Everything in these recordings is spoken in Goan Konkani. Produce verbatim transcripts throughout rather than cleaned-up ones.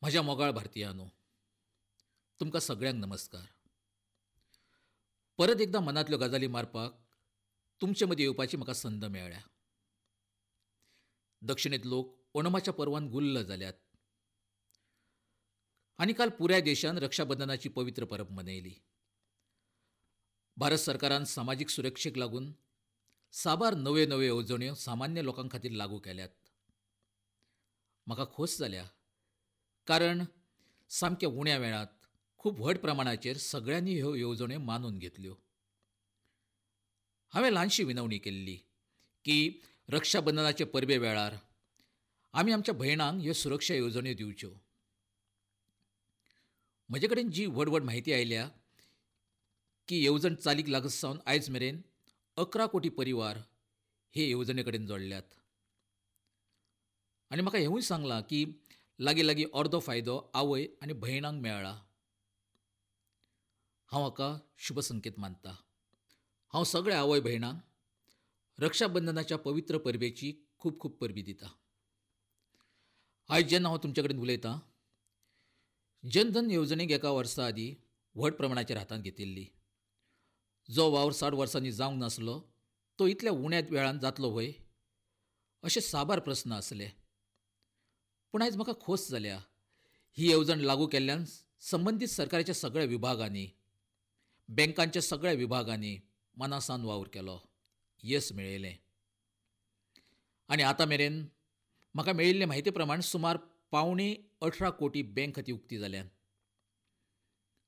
म्हज्या मोगाळ भारतीयांनो, तुमकां सगळ्यांक नमस्कार. परत एकदां मनांतल्यो गजाली मारपाक तुमचे मदीं येवपाची म्हाका संद मेळ्ळ्या. दक्षिणेंत लोक ओणमाच्या पर्वान गुल्ल जाल्यात आनी काल पुराय देशान रक्षाबंधनाची पवित्र परब मनयली. भारत सरकारान सामाजीक सुरक्षेक लागून साबार नव्यो नव्यो येवजण्यो सामान्य लोकां खातीर लागू केल्यात. म्हाका खोस जाल्या, कारण सामक्या उण्या वेळांत खूब व्हड प्रमाणाचेर सगळ्यांनी ह्यो येवजण्यो मानून घेतल्यो. हांवें ल्हानशी विनवणी केल्ली की रक्षाबंधनाचे परबे वेळार आमी आमच्या भयणांक ह्यो सुरक्षा येवजण्यो दिवच्यो. म्हजे कडेन जी व्हड व्हड म्हायती आयल्या की येवजण चालीक लागत सावन आयज मेरेन अकरा कोटी परिवार हे येवजणे कडेन जोडल्यात. आनी म्हाका हेंवूय सांगलां की लागीं लागीं अर्दो फायदो आवय आनी भयणांक मेळ्ळा. हांव हाका शुभ संकेत मानता. हांव सगळ्या आवय भयणांक रक्षाबंधनाच्या पवित्र परबेची खूब खूब परबी दिता. आयज जेन्ना हांव तुमचे कडेन उलयतां, जनधन येवजणेक एका वर्सा आदीं व्हड प्रमाणाचेर हातांत घेतिल्ली. जो वावर साठ वर्सांनी जावंक नासलो तो इतल्या उण्या वेळान जातलो व्हय, अशे साबार प्रस्न आसले. पूण आयज म्हाका खोस जाल्या, ही येवजण लागू केल्ल्यान संबंदीत सरकाराच्या सगळ्या विभागांनी, बँकांच्या सगळ्या विभागांनी मनासान वावर केलो, येस मेळयलें. आनी आतां मेरेन म्हाका मेळिल्ले म्हायती प्रमाण सुमार पावणे अठरा कोटी बँक खातीं उक्ती जाल्यात,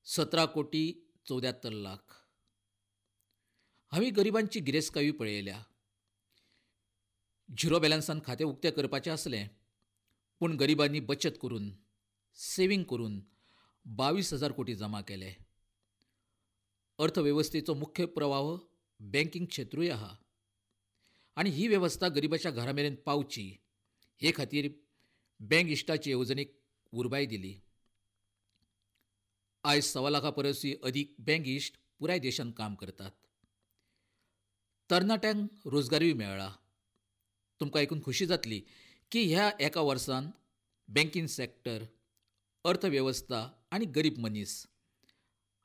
सतरा कोटी चवद्यात्तर लाख. हांवें गरिबांची गिरेस्तकायूय पळयल्या. झिरो बॅलन्सान खातें उक्तें करपाचें आसलें, पूण गरिबांनी बचत करून, सेव्हींग करून बावीस हजार कोटी जमा केले. अर्थवेवस्थेचो मुख्य प्रवाह बँकिंग क्षेत्रूय आसा आनी ही वेवस्था गरिबाच्या घरा मेरेन पावची हे खातीर बँक इश्टाचे येवजणेक उर्बाय दिली. आयज सवा लाखा परसूय अदीक बँक इश्ट पुराय देशांत काम करतात. तरणाट्यांक रोजगारूय मेळ्ळा. तुमकां आयकून खोशी जातली की ह्या एका वर्सान बँकिंग सॅक्टर, अर्थवेवस्था आनी गरीब मनीस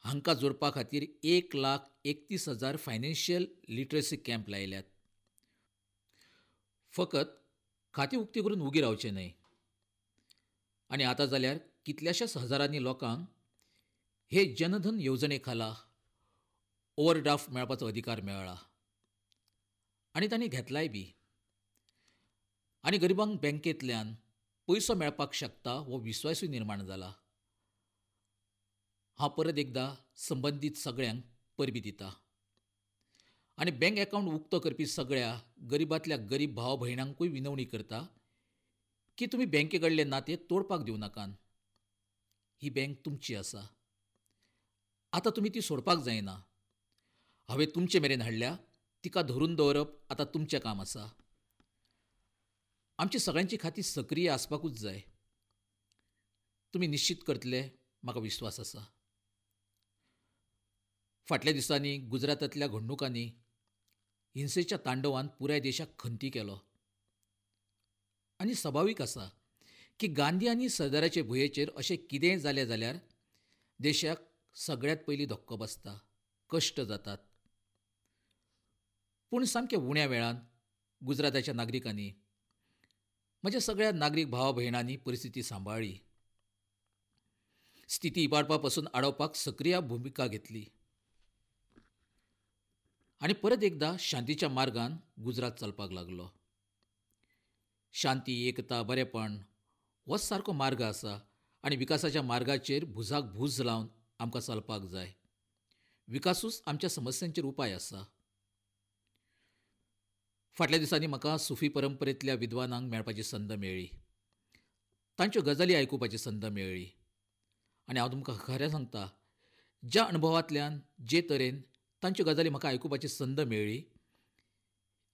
हांकां जोडपा खातीर एक लाख एकतीस हजार फायनान्शियल लिटरसी कॅम्प लायल्यात. फकत खातीं उक्ती करून उगी रावचें न्हय. आनी आतां जाल्यार कितल्याशाच हजारांनी लोकांक हे जनधन येवजणे खाला ओवरड्राफ्ट मेळपाचो अधिकार मेळ्ळा आनी तांणी घेतलाय बी. आनी गरिबांक बँकेंतल्यान पयसो मेळपाक शकता हो विस्वासूय निर्माण जाला. हांव परत एकदां संबंदीत सगळ्यांक परबी दिता आनी बँक अकावंट उक्तो करपी सगळ्या गरिबांतल्या गरीब भाव भयणांकूय विनवणी करता की तुमी बँके कडलें नातें तोडपाक दिवं नाकात. ही बँक तुमची आसा, आतां तुमी ती सोडपाक जायना. हांवें तुमचे मेरेन हाडल्या, तिका धरून दवरप आतां तुमचें काम आसा. आमची सगळ्यांची खातीं सक्रीय आसपाकूच जाय. तुमी निश्चीत करतले, म्हाका विस्वास आसा. फाटल्या दिसांनी गुजरातांतल्या घडणुकांनी हिंसेच्या तांडवान पुराय देशाक खंती केलो आनी सभावीक आसा की गांधी आनी सरदाराचे भुंयेचेर अशें कितेंय जालें जाल्यार देशाक सगळ्यांत पयलीं धक्को बसता, कश्ट जातात. पूण सामक्या उण्या वेळान गुजराताच्या नागरिकांनी, म्हज्या सगळ्या नागरीक भावा भयणांनी परिस्थिती सांबाळ्ळी. स्थिती इबाडपा पासून आडोवपाक सक्रीय भुमिका घेतली आनी परत एकदां शांतीच्या मार्गान गुजरात चलपाक लागलो. शांती, एकता, बरेपण होच सारको मार्ग आसा आनी विकासाच्या मार्गाचेर भुजाक भूज लावन आमकां चलपाक जाय. विकासूच आमच्या समस्यांचेर उपाय आसा. फाटल्या दिसांनी म्हाका सुफी परंपरेंतल्या विद्वानांक मेळपाची संद मेळ्ळी, तांच्यो गजाली आयकुपाची संद मेळ्ळी आनी हांव तुमकां खरें सांगता, ज्या अणभवांतल्यान जे तरेन तांच्यो गजाली म्हाका आयकुपाची संद मेळ्ळी,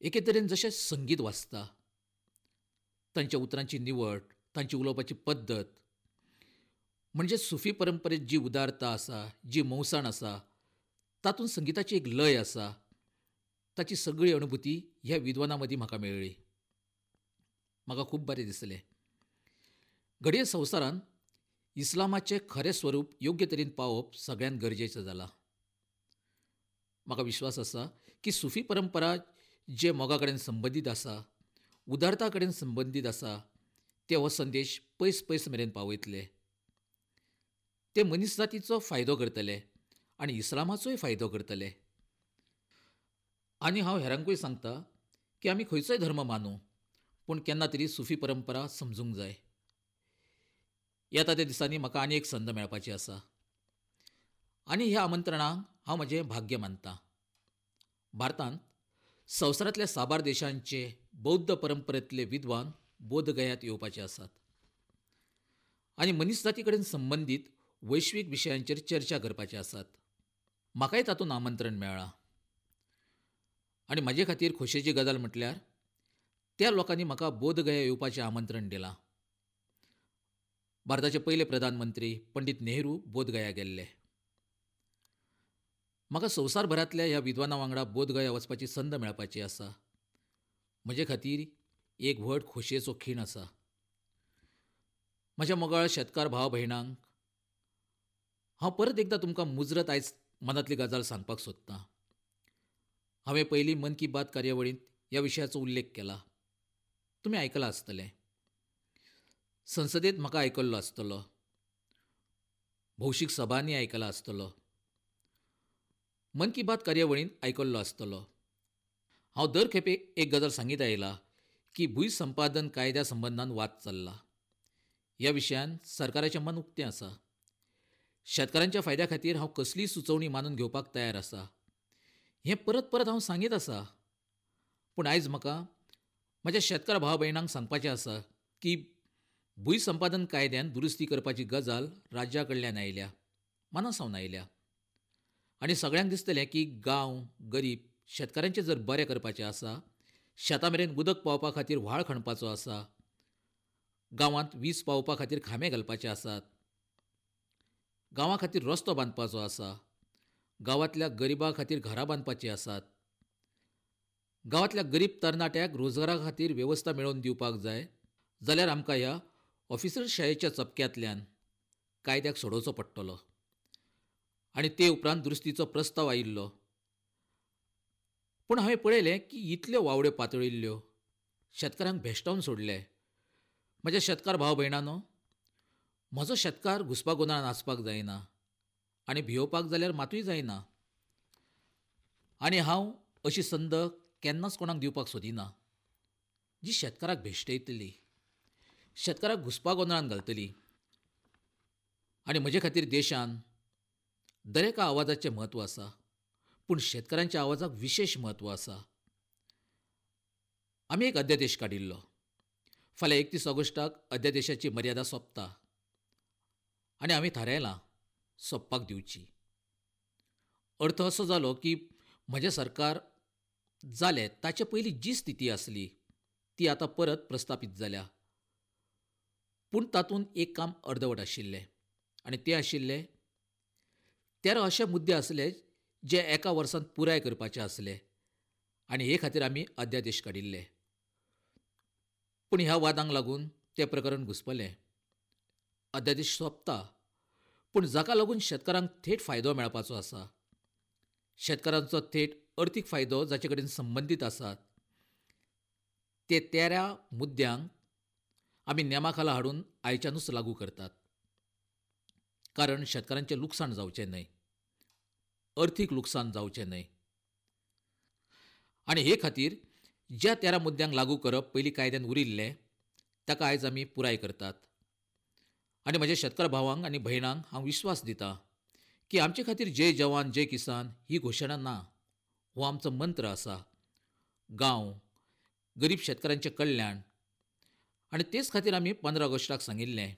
एके तरेन जशें संगीत वाजता, तांच्या उतरांची निवड, तांची उलोवपाची पद्दत, म्हणजे सुफी परंपरेंत जी उदारता आसा, जी मोवसाण आसा, तातूंत संगिताची एक लय आसा, ताची सगळी अनुभूती ह्या विद्वानां मदीं म्हाका मेळ्ळी. म्हाका खूब बरें दिसलें. घडये संवसारांत इस्लामाचें खरें स्वरूप योग्य तरेन पावप सगळ्यांत गरजेचें जालां. म्हाका विश्वास आसा की सुफी परंपरा जे मोगा कडेन संबंदीत आसा, उदारता कडेन संबंदीत आसा, ते हो संदेश पयस पयस मेरेन पावयतले. ते मनीस जातीचो फायदो करतले आनी इस्लामाचोय फायदो करतले. आनी हांव हेरांकूय सांगता की आमी खंयचोय धर्म मानूं, पूण केन्ना तरी सुफी परंपरा समजूंक जाय. येता त्या दिसांनी म्हाका आनी एक संद मेळपाची आसा आनी ह्या आमंत्रणाक हांव म्हजें भाग्य मानतां. भारतांत संवसारांतल्या साबार देशांचे बौद्ध परंपरेंतले विद्वान बोधगयांत येवपाचे आसात आनी मनीसजाती कडेन संबंदीत वैश्वीक विशयांचेर चर्चा करपाचे आसात. म्हाकाय तातूंत आमंत्रण मेळ्ळां आनी म्हजे खातीर खोशयेची गजाल म्हटल्यार त्या लोकांनी म्हाका बोधगया येवपाचें आमंत्रण दिलां. भारताचे पयले प्रधानमंत्री पंडित नेहरू बोधगया गेल्ले. म्हाका संवसारभरांतल्या ह्या विद्वानां वांगडा बोधगया वचपाची संद मेळपाची आसा. म्हजे खातीर एक व्हड खोशयेचो खीण आसा. म्हज्या मोगाळ शेतकार भाव भयणांक हांव परत एकदां तुमकां मुजरत आयज मनांतली गजाल सांगपाक सोदतां. हांवें पयलीं मन की बात कार्यावळींत ह्या विशयाचो उल्लेख केला. तुमी आयकलां आसतलें. संसदेंत म्हाका आयकल्लो आसतलो, भौशीक सभांनी आयकला आसतलो, मन की बात कार्यावळींत आयकल्लो आसतलो. हांव दर खेपे एक गजाल सांगीत आयला की भूंय संपादन कायद्या संबंदान वाद चल्ला. ह्या विशयान सरकाराचें मन उक्तें आसा. शेतकारांच्या फायद्या खातीर हांव कसलीय सुचोवणी मानून घेवपाक तयार आसा हें परत परत हांव सांगीत आसा. पूण आयज म्हाका म्हज्या शेतकार भाव भयणांक सांगपाचें आसा की भूंय संपादन कायद्यान दुरुस्ती करपाची गजाल राज्या कडल्यान आयल्या, मना सावन आयल्या आनी सगळ्यांक दिसतलें की गांव गरीब शेतकारांचें जर बरें करपाचें आसा, शेतां मेरेन उदक पावपा खातीर व्हाळ खणपाचो आसा, गांवांत वीज पावोवपा खातीर खांबे घालपाचे आसात, गांवा खातीर रस्तो बांदपाचो आसा, गांवांतल्या गरिबां खातीर घरां बांदपाचीं आसात, गांवांतल्या गरीब तरणाट्याक रोजगारा खातीर वेवस्था मेळोवन दिवपाक जाय जाल्यार आमकां ह्या ऑफिसरशायेच्या चपक्यांतल्यान कायद्याक सोडोवचो पडटलो. आनी ते उपरांत दुरुस्तीचो प्रस्ताव आयिल्लो. पूण हांवें पळयलें की इतल्यो वावड्यो पातळिल्ल्यो, शेतकारांक भेश्टावन सोडले. म्हज्या शेतकार भाव भयणांनो, म्हजो शेतकार घुसपा गोंदळान आसपाक जायना आनी भियोवपाक जाल्यार मातूय जायना. आनी हांव अशी संद केन्नाच कोणाक दिवपाक सोदिना जी शेतकाराक भेश्टयतली, शेतकाराक घुसपा गोंदळान घालतली. आनी म्हजे खातीर देशान दरेका आवाजाचें म्हत्व आसा, पूण शेतकारांच्या आवाजाक विशेश म्हत्व आसा. आमी एक अध्यादेश काडिल्लो. फाल्यां एकतीस ऑगस्टाक अध्यादेशाची मर्यादा सोंपता आनी आमी थारायलां सोंपपाक दिवची. अर्थ असो जालो की म्हजें सरकार जालें ताचे पयलीं जी स्थिती आसली ती आतां परत प्रस्थापीत जाल्या. पूण तातूंत एक काम अर्दवट आशिल्लें आनी तें आशिल्लें तेरा अशे मुद्दे आसले जे एका वर्सांत पुराय करपाचे आसले आनी हे खातीर आमी अध्यादेश काडिल्ले. पूण ह्या वादांक लागून तें प्रकरण घुसपलें. अध्यादेश सोंपता, पूण जाका लागून शेतकारांक थेट फायदो मेळपाचो आसा, शेतकारांचो थेट अर्थीक फायदो जाचे कडेन संबंदीत आसात, ते तेरा मुद्द्यांक आमी नेमा खाला हाडून आयच्यानूच लागू करतात. कारण शेतकारांचें लुकसाण जावचें न्हय, अर्थीक लुकसाण जावचें न्हय. आनी हे खातीर ज्या तेरा मुद्द्यांक लागू करप पयलीं कायद्यान उरिल्लें ताका आयज आमी पुराय करतात. आनी म्हज्या शेतकार भावांक आनी भयणांक हांव विश्वास दितां की आमचे खातीर जय जवान जय किसान ही घोशणा ना, हो आमचो मंत्र आसा. गांव, गरीब शेतकारांचें कल्याण. आनी तेच खातीर आमी पंदरा ऑगस्टाक सांगिल्लें,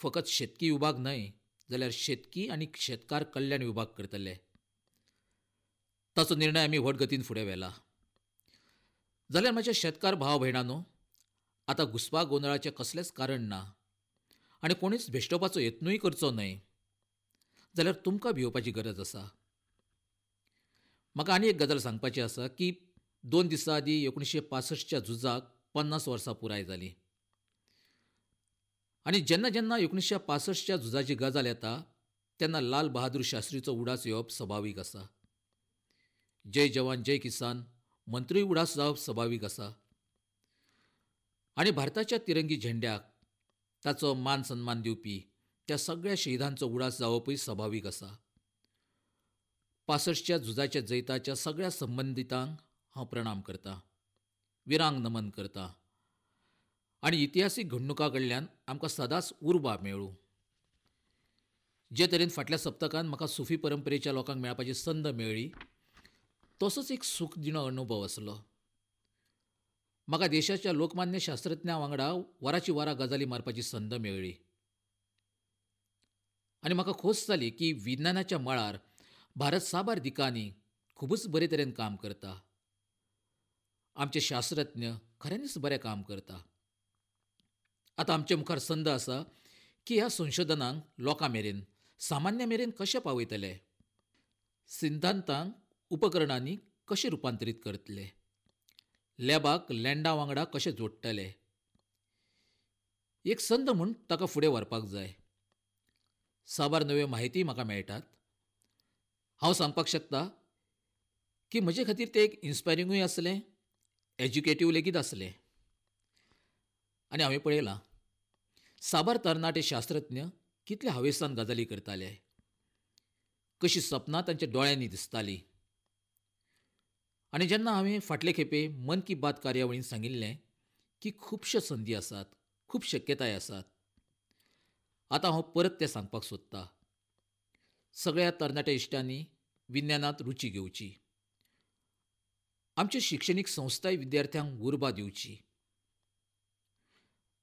फकत शेतकी विभाग न्हय जाल्यार शेतकी आनी शेतकार कल्याण विभाग करतले. ताचो निर्णय आमी व्हड गतीन फुडें व्हेला. जाल्यार म्हज्या शेतकार भाव भयणांनो, आतां घुसपा गोंदळाचें कसलेंच कारण ना आनी कोणीच भेश्टोवपाचो यत्नूय करचो न्हय जाल्यार तुमकां भियोवपाची गरज आसा. म्हाका आनी एक गजाल सांगपाची आसा की दोन दिसां आदीं एकुणशे पासश्टच्या झुजाक पन्नास वर्सां पुराय जालीं आनी जेन्ना जेन्ना एकुणीसशें पासश्टच्या झुजाची गजाल येता तेन्ना लाल बहादूर शास्त्रीचो उडास येवप सभावीक आसा. जय जवान जय किसान मंत्रूय उडास जावप सभावीक आसा. आनी भारताच्या तिरंगी झेंड्याक ताचो मान सन्मान दिवपी त्या सगळ्या शहीदांचो उडास जावपूय सभावीक आसा. पासश्टच्या झुजाच्या जैताच्या सगळ्या संबंदितांक हांव प्रणाम करतां, विरांक नमन करतां आनी इतिहासीक घडणुकां कडल्यान आमकां सदांच उर्बा मेळूं. जे तरेन फाटल्या सप्तकान म्हाका सुफी परंपरेच्या लोकांक मेळपाची संद मेळ्ळी तसोच एक सूख दिणो अनुभव आसलो. म्हाका देशाच्या लोकमान्य शास्त्रज्ञां वांगडा वराची वरां गजाली मारपाची संद मेळ्ळी आनी म्हाका खोस जाली की विज्ञानाच्या मळार भारत साबार दिकांनी खुबूच बरे तरेन काम करता. आमचे शास्त्रज्ञ खऱ्यांनीच बरें काम करता. आतां आमचे मुखार संद आसा की ह्या संशोधनांक लोकां मेरेन, सामान्य मेरेन कशें पावयतले, सिद्धांतांक उपकरणांनी कशें रुपांतरीत करतले, लॅबाक लँडा वांगडा कशें जोडटले. एक संद म्हूण ताका फुडें व्हरपाक जाय. साबार नव्यो म्हायती म्हाका मेळटात. हांव सांगपाक शकता की म्हजे खातीर तें एक इन्स्पायरिंगूय आसलें, एज्युकेटीव लेगीत आसलें. आनी हांवें पळयलां साबार तरणाटे शास्त्रज्ञ कितले हावेसान गजाली करताले, कशी सपनां तांच्या दोळ्यांनी दिसतालीं. आनी जेन्ना हांवें फाटले खेपे मन की बात कार्यावळीन सांगिल्लें की खुबश्यो संदी आसात, खूब शक्यताय आसात, आतां हांव परत तें सांगपाक सोदतां. सगळ्या तरणाट्या इश्टांनी विज्ञानांत रुची घेवची, आमच्यो शिक्षणीक संस्थाय विद्यार्थ्यांक उर्बा दिवची.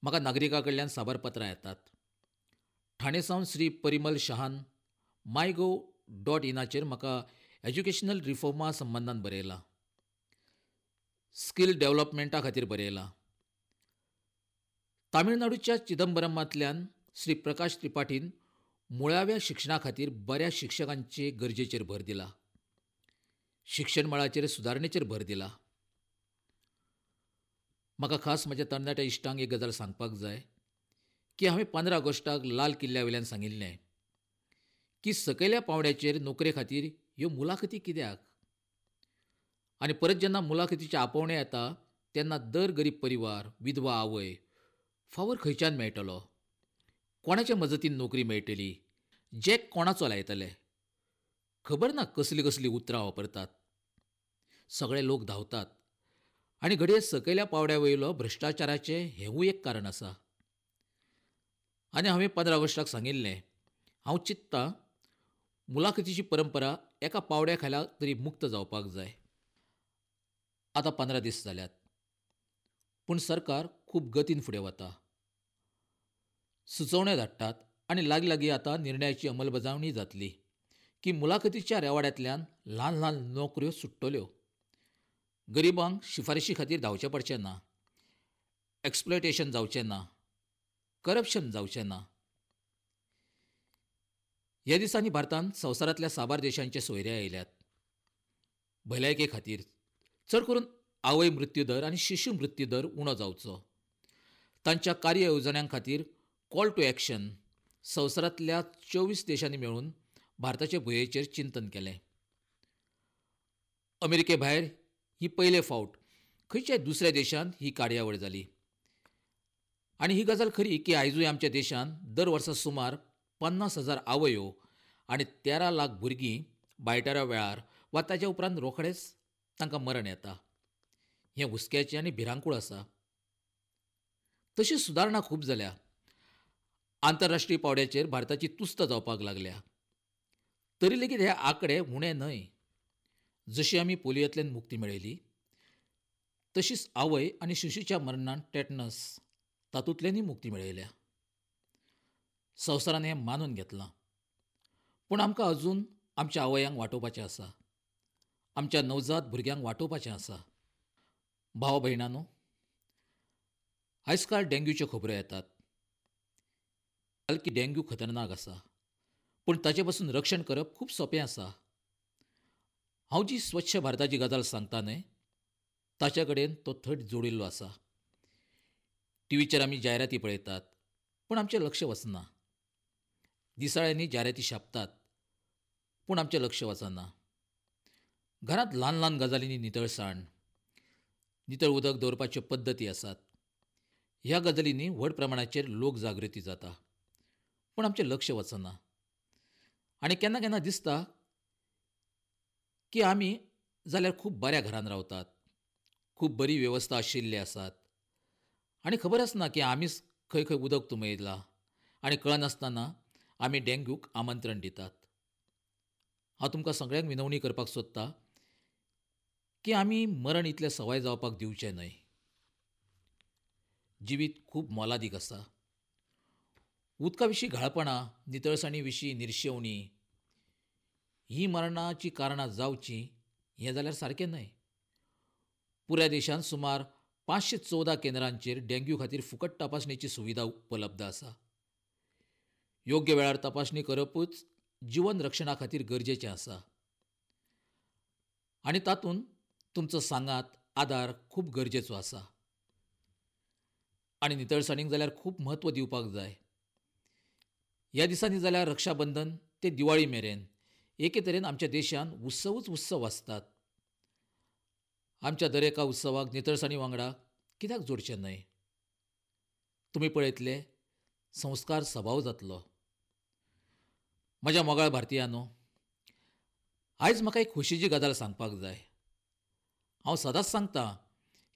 म्हाका नागरिकां कडल्यान साबार पत्रां येतात. ठाणे सावन श्री परिमल शहान माय गॉव डॉट इनाचेर म्हाका एज्युकेशनल रिफॉर्मा संबंदान बरयलां, स्किल डेव्हलपमेंटा खातीर बरयलां. तामिळनाडूच्या चिदंबरमांतल्यान श्री प्रकाश त्रिपाठीन मुळाव्या शिक्षणा खातीर बऱ्या शिक्षकांचे गरजेचेर भर दिला, शिक्षण मळाचेर सुदारणेचेर भर दिला. म्हाका खास म्हज्या तरणाट्या इश्टांक एक गजाल सांगपाक जाय की हांवें पंदरा ऑगस्टाक लाल किल्ल्या वयल्यान सांगिल्लें की सकयल्या पांवड्याचेर नोकरे खातीर ह्यो मुलाखती कित्याक, आनी परत जेन्ना मुलाखतीचें आपोवणें येता तेन्ना दर गरीब परिवार, विधवा आवय फावर खंयच्यान मेळटलो, कोणाच्या मजतीन नोकरी मेळटली, जॅक कोणाचो लायतले, खबर ना कसलीं कसलीं उतरां वापरतात. सगळे लोक धांवतात आनी घडये सकयल्या पांवड्या वयलो भ्रश्टाचाराचें हेंवूय एक कारण आसा. आनी हांवें पंदरा ऑगस्टाक सांगिल्लें, हांव चिंत्ता मुलाखतीची परंपरा एका पांवड्या खाला तरी मुक्त जावपाक जाय. आतां पंदरा दीस जाल्यात, पूण सरकार खूब गतीन फुडें वता. सुचोवण्यो धाडटात आनी लागीं लागीं आतां निर्णयाची अंमलबजावणी जातली की मुलाखतीच्या रेवाड्यांतल्यान ल्हान ल्हान नोकऱ्यो सुट्टल्यो. गरिबांक शिफारशी खातीर धांवचें पडचें ना, एक्सप्लॉयटेशन जावचें ना, करप्शन जावचें ना. ह्या दिसांनी भारतांत संवसारांतल्या साबार देशांचे सोयरे आयल्यात. भलायके खातीर चड करून आवय मृत्यू दर आनी शिशू मृत्यू दर उणो जावचो, तांच्या कार्य येवजण्यां खातीर कॉल टू एक्शन संवसारांतल्या चोवीस देशांनी मेळून भारताचे भुंयेचेर चिंतन केलें. अमेरिके भायर ही पयले फावट खंयच्याय दुसऱ्या देशांत ही कार्यावळ जाली. आनी ही गजाल खरी की आयजूय आमच्या देशांत दर वर्सा सुमार पन्नास हजार आवयो आनी तेरा लाख भुरगीं बायटारा वेळार वा ताच्या उपरांत रोखडेंच तांकां मरण येता. हें हुस्क्याचें आनी भिरांकूळ आसा. तशी सुदारणा खूब जाल्या. आंतरराष्ट्रीय पांवड्याचेर भारताची तुस्त जावपाक लागल्या. तरी लेगीत हे आंकडे उणे न्हय. जशी आमी पोलियोंतल्यान मुक्ती मेळयली तशीच आवय आनी शिशूच्या मरणान टेटनस तातूंतल्यानूय मुक्ती मेळयल्या. संवसारान हें मानून घेतलां. पूण आमकां अजून आमच्या आवयांक वाटोवपाचें आसा, आमच्या नवजात भुरग्यांक वाटोवपाचें आसा. भाव भयणांनो, आयज काल डेंग्यूच्यो खबरो येतात की डेंग्यू खतरनाक आसा, पूण ताचे पसून रक्षण करप खूब सोंपें आसा. हांव जी स्वच्छ भारताची गजाल सांगता न्हय, ताच्या कडेन तो थेट जोडिल्लो आसा. टिवीचेर आमी जायराती पळयतात, पूण आमचें लक्ष वचना. दिसाळ्यांनी जायराती छापतात, पूण आमचें लक्ष वचना. घरांत ल्हान ल्हान गजालींनी नितळसाण, नितळ उदक दवरपाच्यो पद्दती आसात. ह्या गजालींनी व्हड प्रमाणाचेर लोक जागृती जाता, पूण आमचें लक्ष वचना. आनी केन्ना केन्ना दिसता की आमी जाल्यार खूब बऱ्या घरान रावतात, खूब बरी वेवस्था आशिल्ली आसात आनी खबर आसना की आमीच खंय खंय उदक तुंबयलां आनी कळनासतना आमी डेंग्यूक आमंत्रण दितात. हांव तुमकां सगळ्यांक विनवणी करपाक सोदता की आमी मरण इतलें सवाय जावपाक दिवचें न्हय. जिवीत खूब मोलादीक आसा. उदका विशीं घाळपणां, नितळसाणी विशीं निर्शेवणी ही मरणाचीं कारणां जावचीं हें जाल्यार सारकें न्हय. पुराय देशांत सुमार पांचशे चवदा केंद्रांचेर डेंग्यू खातीर फुकट तपासणेची सुविधा उपलब्ध आसा. योग्य वेळार तपासणी करपूच जिवन रक्षणा खातीर गरजेचें आसा आनी तातूंत तुमचो सांगात, आदार खूब गरजेचो आसा. आनी नितळसाणीक जाल्यार खूब म्हत्व दिवपाक जाय. ह्या दिसांनी जाल्यार रक्षाबंधन ते दिवाळी मेरेन एके तरेन आमच्या देशांत उत्सवूच उत्सव आसतात. आमच्या दरेका उत्सवाक नितळसाणी वांगडा कित्याक जोडचें न्हय? तुमी पळयतले संस्कार सभाव जातलो. म्हज्या मोगाळ भारतीयांनो, आयज म्हाका एक खोशयेची गजाल सांगपाक जाय. हांव सदांच सांगता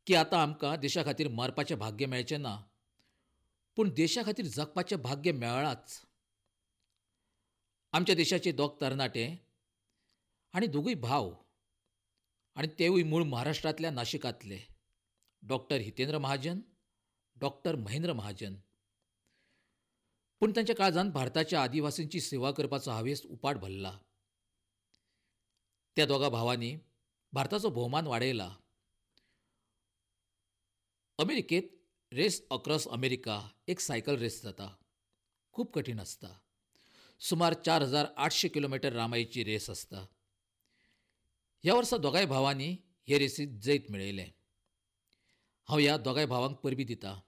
की आतां आमकां देशा खातीर मरपाचें भाग्य मेळचें ना, पूण देशा खातीर जगपाचें भाग्य मेळ्ळांच. आमच्या देशाचे दोग तरणाटे आनी दोगूय भाव, आनी तेवूय मूळ महाराष्ट्रांतल्या नाशिकांतले, डॉक्टर हितेंद्र महाजन, डॉक्टर महेंद्र महाजन. पूण तांच्या काळजांत भारताच्या आदिवासींची सेवा करपाचो हावेस उपाट भरला. त्या दोगा भावांनी भारताचो भोवमान वाडयला. अमेरिकेंत रेस अक्रॉस अमेरिका एक सायकल रेस जाता. खूब कठीण आसता. सुमार चार हजार आठशे किलोमिटर लांबायेची रेस आसता. ह्या वर्सा दोगांय भावांनी हे रेसींत जैत मेळयलें. हांव ह्या दोगांय भावांक परबीं दिता.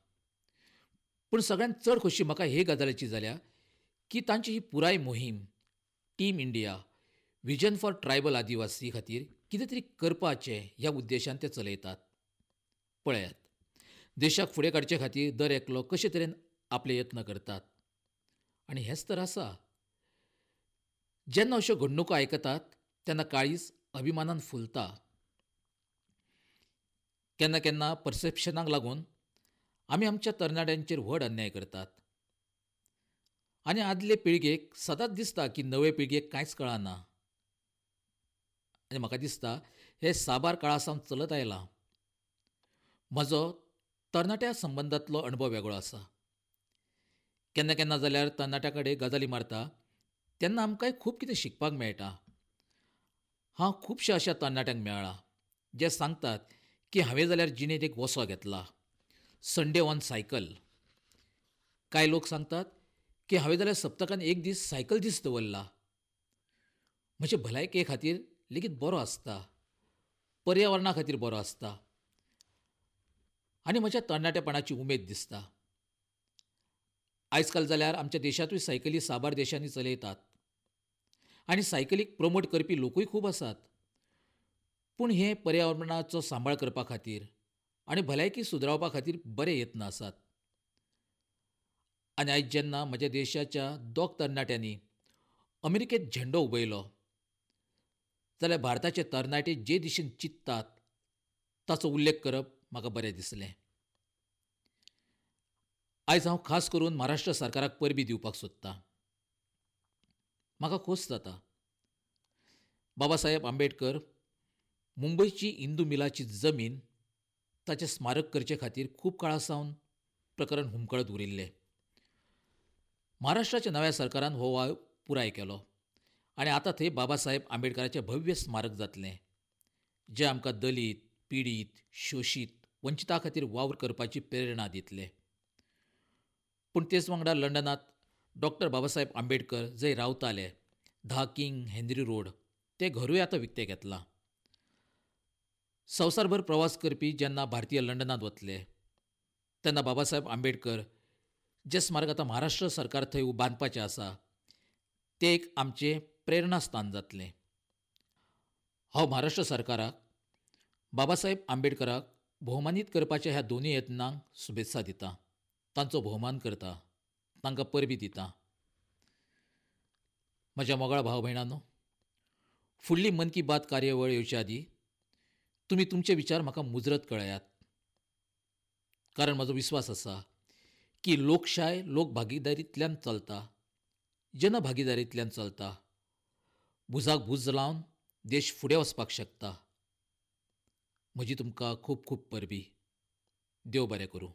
पूण सगळ्यांत चड खोशी म्हाका हे गजालीची जाल्या की तांची ही पुराय मोहीम team India vision for tribal Adivasi खातीर कितें तरी करपाचें ह्या उद्देशान ते चलयतात. पळयात, देशाक फुडें काडचे खातीर दर एकलो कशे तरेन आपले यत्न करतात. आनी हेंच तर आसा, जेन्ना अश्यो घडणुको आयकतात तेन्ना काळीज अभिमानान फुलता. केन्ना केन्ना परसेप्शनाक लागून आमी आमच्या तरणाट्यांचेर व्हड अन्याय करतात. आनी आदले पिळगेक सदांच दिसता की नवे पिळगेक कांयच कळना. आनी म्हाका दिसता हें साबार काळा सावन चलत आयलां. म्हजो तरणाट्या संबंदांतलो अणभव वेगळो आसा. केन्ना केन्ना जाल्यार तरणाट्या कडेन गजाली मारता तेन्ना आमकांय खूब कितें शिकपाक मेळटा. हांव खुबश्या अशा तरणाट्यांक मेळ्ळां जे सांगतात की हांवें जाल्यार जिणेंत एक वसो घेतला, संडे ऑन सायकल. कांय लोक सांगतात की हांवें जाल्यार सप्तकान एक दीस सायकल दीस दवरला. म्हजे भलायके खातीर लेगीत बरो आसता, पर्यावरणा खातीर बरो आसता आनी म्हज्या तरणाटेपणाची उमेद दिसता. आयज काल जाल्यार आमच्या देशांतूय सायकली साबार देशांनी चलयतात आनी सायकलीक प्रमोट करपी लोकूय खूब आसात. पूण हे पर्यावरणाचो सांबाळ करपा खातीर आनी भलायकी सुदरावपा खातीर बरे यत्न आसात. आनी आयज जेन्ना म्हज्या देशाच्या दोग तरणाट्यांनी अमेरिकेंत झेंडो उबयलो जाल्यार भारताचे तरणाटे जे दिशेन चिंततात ताचो उल्लेख करप म्हाका बरें दिसलें. आयज हांव खास करून महाराष्ट्र सरकाराक परबीं दिवपाक सोदतां. म्हाका खोस जाता. बाबासाहेब आंबेडकर मुंबयची इंदू मिलाची जमीन ताचें स्मारक करचे खातीर खूब काळा सावन प्रकरण हुमकळत उरिल्लें. महाराष्ट्राच्या नव्या सरकारान हो वावर पुराय केलो आनी आतां थंय बाबासाहेब आंबेडकराचें भव्य स्मारक जातलें, जें आमकां दलीत, पिडीत, शोशीत, वंचिता खातीर वावर करपाची प्रेरणा दितलें. पूण तेच वांगडा लंडनांत डॉक्टर बाबासाहेब आंबेडकर जंय रावताले, धा किंग हेनरी रोड, तें घरूय आतां विकतें घेतलां. संवसारभर प्रवास करपी जेन्ना भारतीय लंडनांत वतले तेन्ना बाबासाहेब आंबेडकर जें स्मारक आतां महाराष्ट्र सरकार थंय बांदपाचें आसा तें एक आमचें प्रेरणास्थान जातलें. हांव महाराष्ट्र सरकाराक बाबासाहेब आंबेडकराक भोवमानीत करपाच्या ह्या दोनूय यत्नांक शुभेत्सा दिता, तांचो भोवमान करता, तांकां परबीं दिता. म्हज्या मोगाळ भाव भयणांनो, फुडली मन की बात कार्यावळ येवच्या आदीं तुमी तुमचे विचार म्हाका मुजरत कळयात, कारण म्हजो विस्वास आसा की लोकशाय लोकभागीदारींतल्यान चलता, जनभागीदारींतल्यान चलता. भुजाक भूज लावन देश फुडें वचपाक शकता. म्हजी तुमकां खूब खूब परबीं. देव बरें करूं.